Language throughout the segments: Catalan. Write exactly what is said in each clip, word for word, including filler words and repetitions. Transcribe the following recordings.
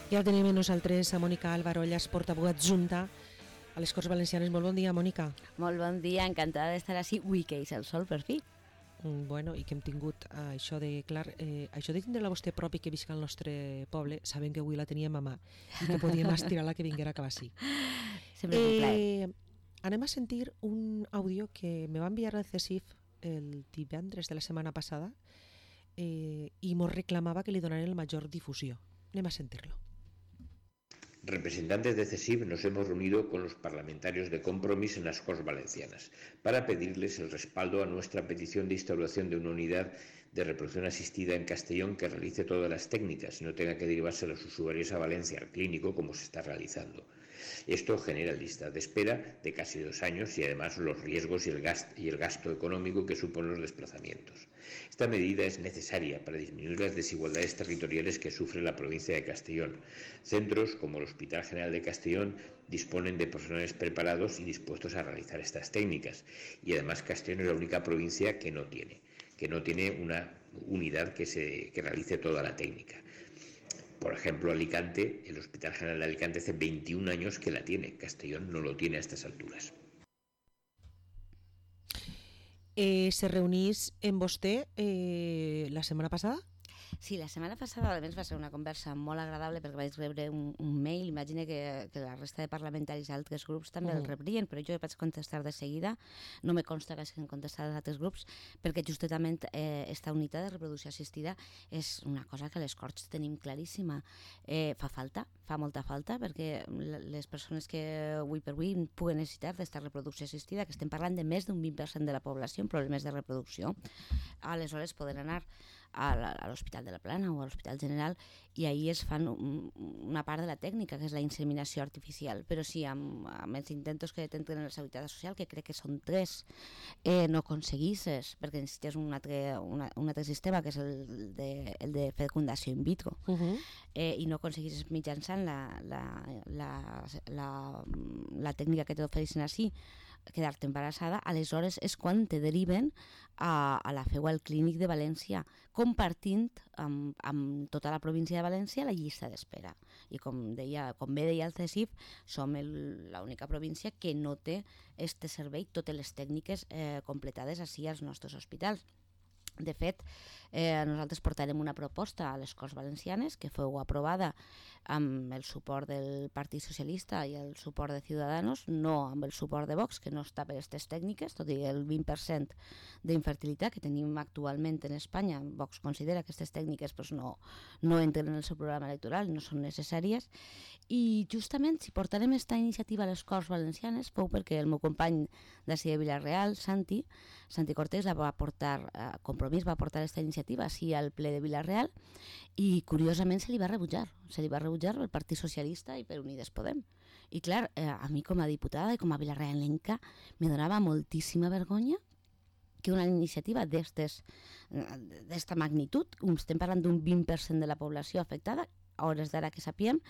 I ara tenim amb nosaltres a Mònica Álvaro, ella és portaveu adjunta a les Corts Valencianes. Molt bon dia, Mònica. Molt bon dia, encantada d'estar així. Ui, que és el sol, per fi. Mm, bueno, i que hem tingut eh, això de, clar, eh, això de tindre la vostra propi que visca al nostre poble, sabem que avui la teníem a mà i que podíem estirar-la que vinguera cap així. Sempre és un plaer. Eh, anem a sentir un àudio que me va enviar el C S I F el divendres de la setmana passada eh, i mos reclamava que li donaren la major difusió. Anem a sentir-lo. Representantes de C S I F nos hemos reunido con los parlamentarios de Compromís en las Corts Valencianas para pedirles el respaldo a nuestra petición de instauración de una unidad de reproducción asistida en Castellón que realice todas las técnicas y no tenga que derivarse a los usuarios a Valencia, al clínico, como se está realizando. Esto genera listas de espera de casi dos años y además los riesgos y el gasto, y el gasto económico que suponen los desplazamientos. Esta medida es necesaria para disminuir las desigualdades territoriales que sufre la provincia de Castellón. Centros como el Hospital General de Castellón disponen de profesionales preparados y dispuestos a realizar estas técnicas y además Castellón es la única provincia que no tiene, que no tiene una unidad que, se, que realice toda la técnica. Por ejemplo, Alicante, el Hospital General de Alicante hace veintiún años que la tiene, Castellón no lo tiene a estas alturas. Eh, ¿Se reunís en vostè eh, la setmana passada? Sí, la setmana passada a més va ser una conversa molt agradable perquè vaig rebre un, un mail, imagine que, que la resta de parlamentaris i altres grups també uh-huh. el rebrien, però jo vaig contestar de seguida, no me consta que hagin contestat els altres grups, perquè justament eh, esta unitat de reproducció assistida és una cosa que a les Corts tenim claríssima. Eh, fa falta, fa molta falta, perquè les persones que avui per avui puguen necessitar d'esta reproducció assistida, que estem parlant de més d'un vint per cent de la població amb problemes de reproducció, aleshores poden anar a l'Hospital de la Plana o a l'Hospital General i ahir es fan un, una part de la tècnica, que és la inseminació artificial, però sí, amb, amb els intentos que tenen la Seguretat Social, que crec que són tres, eh, no aconseguisses, perquè necessites un altre, una, un altre sistema, que és el de, el de fecundació in vitro, uh-huh. eh, i no aconseguisses mitjançant la, la, la, la, la tècnica que t'ofereixen així, quedar-te embarassada, aleshores és quan te deriven a, a la F E U al Clínic de València, compartint amb, amb tota la província de València la llista d'espera. I com, deia, com bé deia el C S I F, som l'única província que no té este servei, totes les tècniques eh, completades així als nostres hospitals. De fet, eh, nosaltres portarem una proposta a les Corts Valencianes que fou aprovada amb el suport del Partit Socialista i el suport de Ciudadanos, no amb el suport de Vox, que no està per aquestes tècniques, tot i el vint per cent d'infertilitat que tenim actualment en Espanya. Vox considera que aquestes tècniques pues, no, no entren en el seu programa electoral, no són necessàries, i justament si portarem aquesta iniciativa a les Corts Valencianes fou perquè el meu company d'ací de Vila-real, Santi, Santi Cortés, la va portar a Compromís, va portar aquesta iniciativa així al ple de Vila-real i curiosament se li va rebutjar se li va rebutjar el Partit Socialista i per Unides Podem. I clar, eh, a mi com a diputada i com a vilarealenca me donava moltíssima vergonya que una iniciativa d'esta magnitud, estem parlant d'un vint per cent de la població afectada, a hores d'ara que sapiem,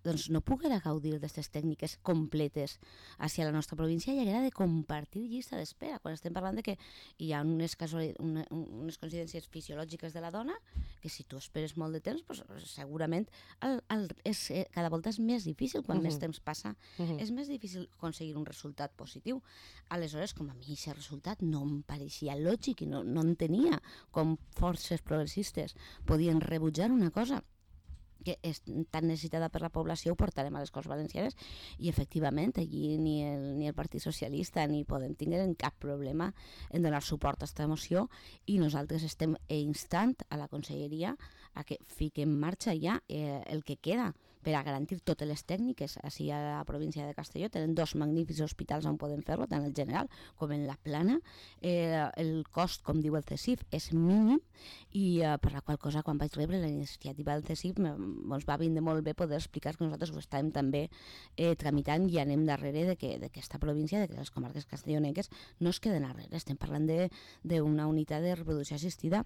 doncs no poguera gaudir d'aquestes tècniques completes hacia la nostra província i haguera de compartir llista d'espera, quan estem parlant de que hi ha unes, una, unes coincidències fisiològiques de la dona que si tu esperes molt de temps, doncs, segurament el, el, és, cada volta és més difícil, quan uh-huh. més temps passa, uh-huh. és més difícil aconseguir un resultat positiu. Aleshores, com a mi aquest resultat no em pareixia lògic i no, no entenia com forces progressistes podien rebutjar una cosa que és tan necessitada per la població, ho portarem a les Corts Valencianes i efectivament allí ni el, ni el Partit Socialista ni Podem tindre cap problema en donar suport a aquesta moció i nosaltres estem instant a la Conselleria a que fiqui en marxa ja eh, el que queda per a garantir totes les tècniques així a la província de Castelló. Tenen dos magnífics hospitals on podem fer-lo, tant el General com en la Plana. Eh, el cost, com diu el C S I F, és mínim i eh, per la qual cosa quan vaig rebre la iniciativa del C S I F ens va vindre molt bé poder explicar que nosaltres ho estàvem també eh, tramitant i anem darrere de que d'aquesta província, de que les comarques castelloneques no es queden darrere. Estem parlant d'una unitat de reproducció assistida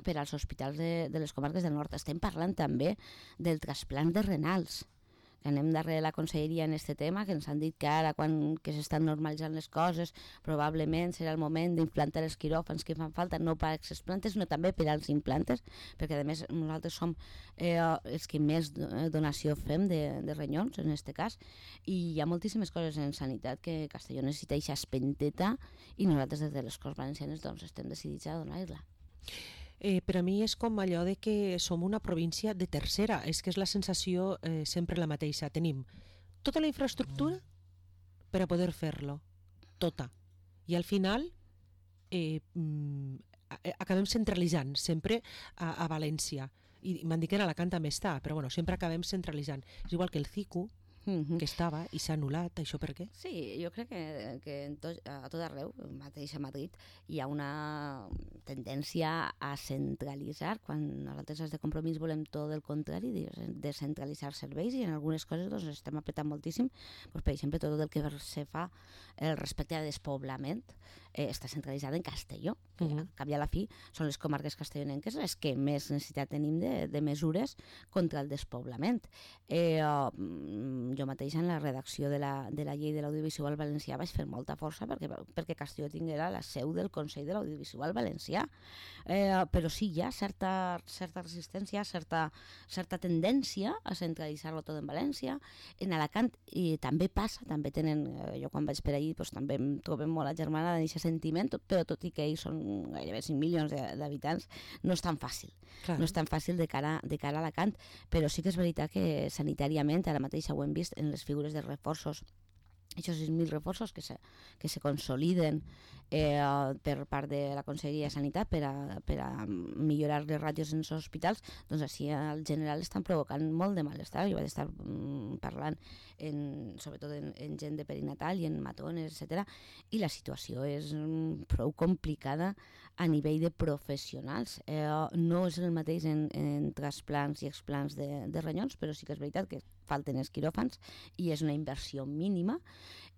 per als hospitals de, de les comarques del nord. Estem parlant també del trasplant de renals, anem darrere la conselleria en aquest tema, que ens han dit que ara, quan que s'estan normalitzant les coses, probablement serà el moment d'implantar els quiròfans que fan falta, no per als explantes, sinó també per als implantes, perquè a més nosaltres som eh, els que més donació fem de, de renyons, en aquest cas, i hi ha moltíssimes coses en sanitat que Castelló necessita eixa espenteta i nosaltres des de les Corts Valencianes doncs, estem decidits a donar-la. Eh, per a mi és com allò de que som una província de tercera, és que és la sensació eh, sempre la mateixa. Tenim tota la infraestructura per a poder fer-lo, tota. I al final eh, mm, acabem centralitzant sempre a, a València. I m'han dit que en Alacant també està, però bueno, sempre acabem centralitzant. És igual que el C I C U, Mm-hmm. que estava i s'ha anul·lat, això per què? Sí, jo crec que, que en tot, a tot arreu, mateix a Madrid, hi ha una tendència a centralitzar, quan nosaltres des de Compromís volem tot el contrari, descentralitzar serveis, i en algunes coses doncs, estem apretant moltíssim. Pues, per exemple, tot el que se fa el respecte a despoblament eh, està centralitzat en Castelló, que uh-huh. al cap i a la fi són les comarques castellonenques les que més necessitat tenim de, de mesures contra el despoblament. Eh, jo mateixa en la redacció de la, de la llei de l'audiovisual valencià vaig fer molta força perquè, perquè Castelló tinguera la seu del Consell de l'Audiovisual Valencià. Eh, però sí, hi ha certa, certa resistència, certa, certa tendència a centralitzar-lo tot en València. En Alacant i també passa, també tenen, eh, jo quan vaig per allí doncs, també em trobem molt a germana d'aquest sentiment, però tot i que ells són gairebé cinc milions d'habitants, no és tan fàcil. Clar. No és tan fàcil de cara, de cara a Alacant, però sí que és veritat que sanitàriament, ara mateix ho hem vist en les figures de reforços, aquests sis mil reforços que se, que se consoliden eh, per part de la Conselleria de Sanitat per a, per a millorar les ràtios en els hospitals, doncs així al general estan provocant molt de malestar. Jo vaig estar mm, parlant en, sobretot en, en gent de perinatal i en matones, etcètera, i la situació és mm, prou complicada a nivell de professionals. Eh, no és el mateix en, en trasplants i explants de, de ronyons, però sí que és veritat que falten els quiròfans i és una inversió mínima,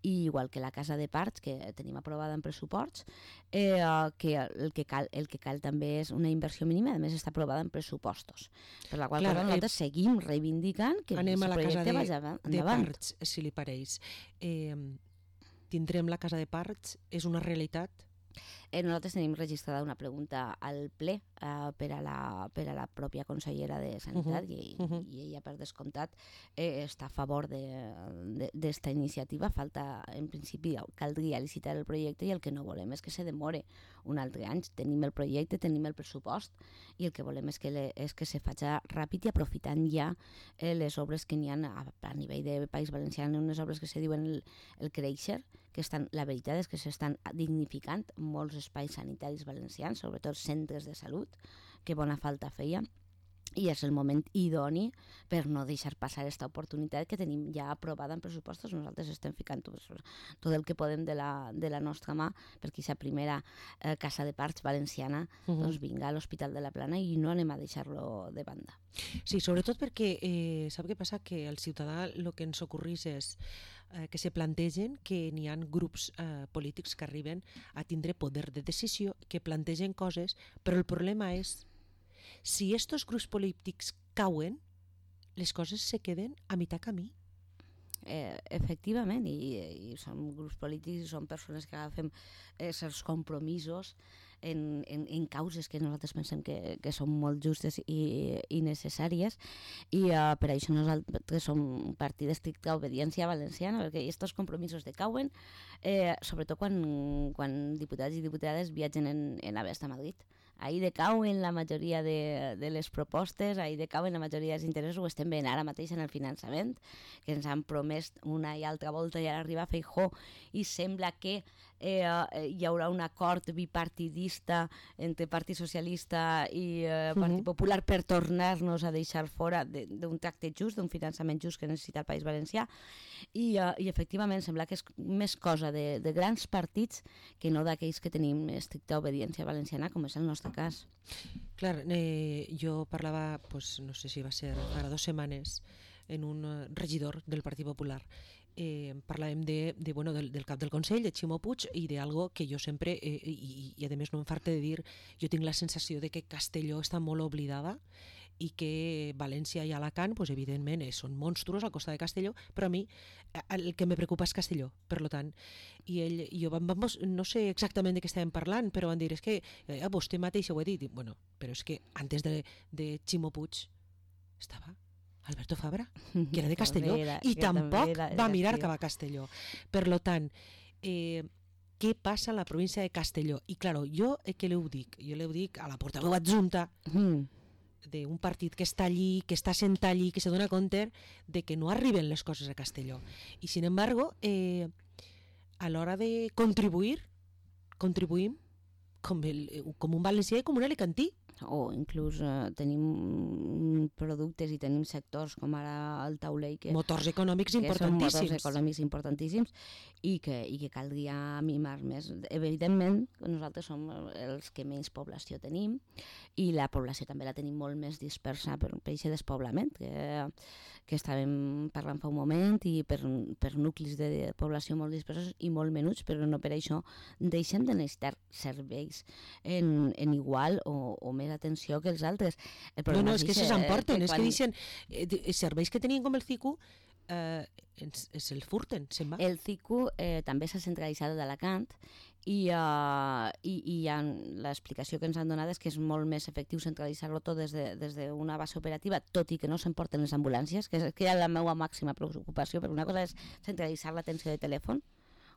i igual que la casa de parts que tenim aprovada en pressuposts, eh, que el que cal, el que cal també és una inversió mínima, a més està aprovada en pressupostos, per la qual Clar, cosa nosaltres eh, seguim reivindicant que anem a la casa de, endavant. de parts, si li pareix. Eh, tindrem la casa de parts, és una realitat? Eh, nosaltres tenim registrada una pregunta al ple eh, per, a la, per a la pròpia consellera de Sanitat uh-huh. i, uh-huh. i ella, per descomptat, eh, està a favor d'esta iniciativa. Falta, en principi, caldria licitar el projecte i el que no volem és que se demore un altre any. Tenim el projecte, tenim el pressupost i el que volem és que, le, és que se faci ràpid i aprofitant ja eh, les obres que n'hi ha a, a nivell de País Valencià, unes obres que se diuen el, el Créixer, que estan, la veritat és que s'estan dignificant molts espais sanitaris valencians, sobretot centres de salut, que bona falta feia, i és el moment idoni per no deixar passar aquesta oportunitat que tenim ja aprovada en pressupostos. Nosaltres estem ficant tot, tot el que podem de la, de la nostra mà perquè aquesta primera eh, casa de parts valenciana uh-huh. doncs vinga a l'Hospital de la Plana i no anem a deixar-lo de banda. Sí, sobretot perquè eh, sap què passa? Que el ciutadà el que ens ocorrís és eh, que se plantegen que n'hi ha grups eh, polítics que arriben a tindre poder de decisió, que plantegen coses, però el problema és si estos grups polítics cauen, les coses se queden a mitjà camí. Eh, efectivament, i, i són grups polítics i són persones que agafen eh, certs compromisos en, en, en causes que nosaltres pensem que, que són molt justes i, i necessàries, i uh, per això nosaltres som un partit d'estricta obediència valenciana, perquè aquests compromisos decauen, eh, sobretot quan, quan diputats i diputades viatgen en, en avions a Madrid. Ahir decauen la majoria de, de les propostes, ahir decauen la majoria dels interessos, ho estem veient ara mateix en el finançament, que ens han promès una i altra volta i ara arriba Feijóo i sembla que eh, hi haurà un acord bipartidista entre Partit Socialista i eh, Partit uh-huh. Popular per tornar-nos a deixar fora d'un tracte just, d'un finançament just que necessita el País Valencià, i, uh, i efectivament sembla que és més cosa de, de grans partits que no d'aquells que tenim estricta obediència valenciana, com és el nostre cas. Clar, eh, jo parlava, pues, no sé si va ser ara dues setmanes, en un regidor del Partit Popular. Eh, parlàvem de, de, bueno, del, del cap del Consell, de Ximo Puig, i d'algo que jo sempre, eh, i, i a més no em farte de dir, jo tinc la sensació de que Castelló està molt oblidada i que València i Alacant, pues, evidentment, són monstruos al costat de Castelló, però a mi el que me preocupa és Castelló, per lo tant. I ell, jo vamos, no sé exactament de què estàvem parlant, però van dir, és que eh, vostè mateix ho he dit. I, bueno, però és que antes de, de Ximo Puig estava Alberto Fabra, que era de Castelló, era, i tampoc era, era, va mirar sí. cap a Castelló. Per lo tant, eh, què passa a la província de Castelló? I, claro, jo eh, què li ho dic? Jo li ho dic a la portaveu adjunta mm. d'un partit que està allí, que està sent allí, que se dona compte de que no arriben les coses a Castelló. I, sin embargo, eh, a l'hora de contribuir, contribuïm com, el, com un valencià i com un alicantí. O inclús eh, tenim productes i tenim sectors com ara el taulell que, motors econòmics que importantíssims són motors econòmics importantíssims i que, i que caldria mimar més. Evidentment nosaltres som els que menys població tenim i la població també la tenim molt més dispersa per, per aquest despoblament que, que estàvem parlant fa un moment i per, per nuclis de població molt dispersos i molt menuts, però no per això deixem de necessitar serveis en, en igual o, o més atenció que els altres. No, no, és que se s'emporten, és que deixen eh, serveis que tenien com el C I C U eh, es el furten, se'n va. El C I C U eh, també s'ha centralitzat d'Alacant i, uh, i, i ha, l'explicació que ens han donat és que és molt més efectiu centralitzar-lo tot des d'una de, des de base operativa, tot i que no s'emporten les ambulàncies, que és que era la meva màxima preocupació, perquè una cosa és centralitzar l'atenció de telèfon,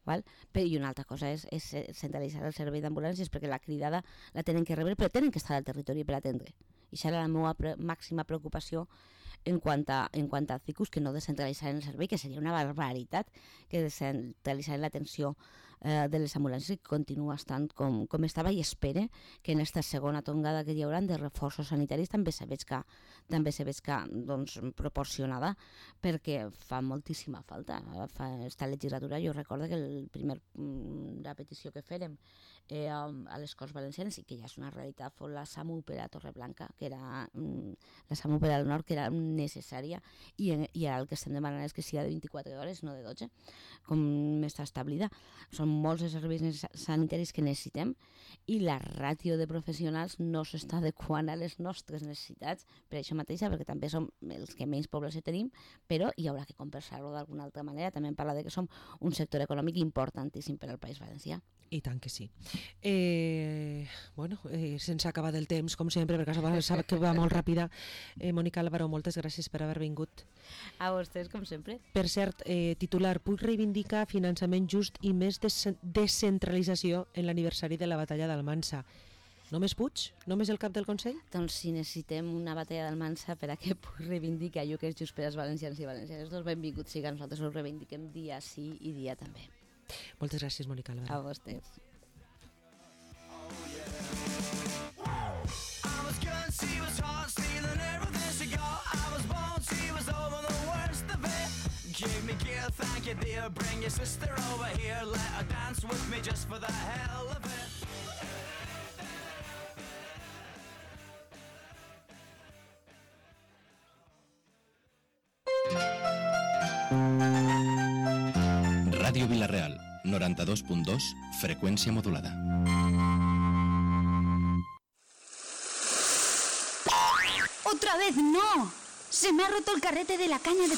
val? Però, i una altra cosa és, és centralitzar el servei d'ambulàncies perquè la cridada la tenen que rebre, però tenen que estar al territori per atendre. I això era la meva pre màxima preocupació en quant a, en quant a C I C Us, que no descentralitzaren el servei, que seria una barbaritat que descentralitzaren l'atenció eh, de les ambulàncies que continua estant com, com estava, i espere que en aquesta segona tongada que hi haurà de reforços sanitaris també se veig que, també se veig que doncs, proporcionada, perquè fa moltíssima falta. Fa esta legislatura jo recordo que el primer, la petició que fèrem eh, a les Corts Valencianes, i que ja és una realitat, fos la SAMU per a Torreblanca, que era la SAMU per al nord, que era necessària, i, i el que estem demanant és que sigui de vint-i-quatre hores, no de dotze, com està establida. Són molts els serveis sanitaris que necessitem i la ràtio de professionals no s'està adequant a les nostres necessitats per això mateixa, perquè també som els que menys població tenim, però hi haurà que compensar-ho d'alguna altra manera. També em parla de que som un sector econòmic importantíssim per al País Valencià. I tant que sí. Eh, bueno, eh, sense acabar del temps, com sempre, perquè sap que va molt ràpida. Eh, Mònica Álvaro, moltes gràcies per haver vingut. A vostès, com sempre. Per cert, eh, titular, Puig reivindica finançament just i més descentralització en l'aniversari de la batalla d'Almansa. Només Puig? Només el cap del Consell? Doncs si necessitem una batalla d'Almansa per a que Puig reivindiqui allò que és just per als valencians i valencianes, doncs benvinguts sigui, nosaltres ho reivindiquem dia sí i dia també. Moltes gràcies, Mònica Álvaro. A vostès. Give me gear, thank you dear. Bring your sister over here. Let her dance with me just for the hell of it. Ràdio Vila-real, noranta-dos punt dos, freqüència modulada. ¡Otra vez no! Se me ha roto el carrete de la caña de